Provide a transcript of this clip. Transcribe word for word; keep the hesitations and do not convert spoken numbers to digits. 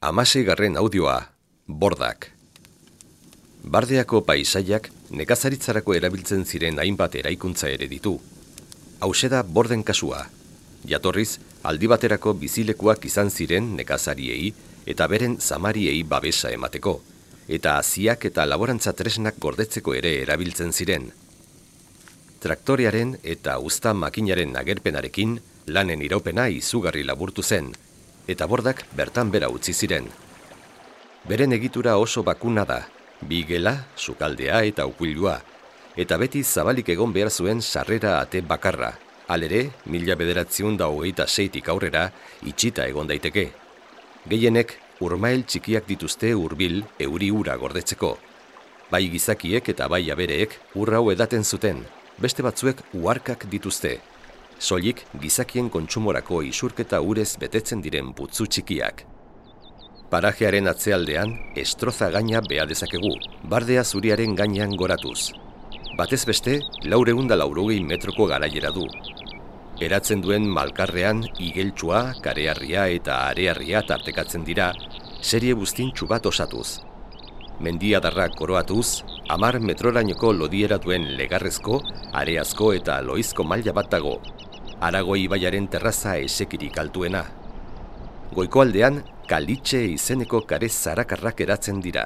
Hamaseigarren audioa, bordak. Bardeako paisaiak nekazaritzarako erabiltzen ziren hainbat eraikuntza ere ditu. Hauxe da borden kasua. Jatorriz, aldi baterako bizilekuak izan ziren nekazariei eta beren zamariei babesa emateko, eta haziak eta laborantza tresnak gordetzeko ere erabiltzen ziren. Traktorearen eta uzta makinaren agerpenarekin lanen iraupena izugarri laburtu zen, eta bordak bertan bera utzi ziren. Beren egitura oso bakuna da, bi gela, sukaldea eta ukuilua, eta beti zabalik egon behar zuen sarrera ate bakarra, halere, mila bederatziehun eta hogeita seitik aurrera, itxita egon daiteke. Gehienek, urmael txikiak dituzte hurbil euri ura gordetzeko. Bai gizakiek eta bai abereek ur hau edaten zuten, beste batzuek uharkak dituzte. Soilik gizakien kontsumorako isurketa urez betetzen diren putzu txikiak. Parajearen atzealdean, estroza gaina beha dezakegu, bardea zuriaren gainean goratuz. Batez beste, laureun da laurogei metroko garaiera du. Eratzen duen malkarrean igeltsua, kareharria eta areharria tartekatzen dira, serie buztintxu bat osatuz. Mendiadarrak koroatuz, hamar metrorainoko lodiera duen legarrezko, areazko eta loizko maila bat dago. Aragoi ibaiaren terraza esekirik altuena. Goiko aldean, Kalitxe izeneko kare zarakarrak eratzen dira.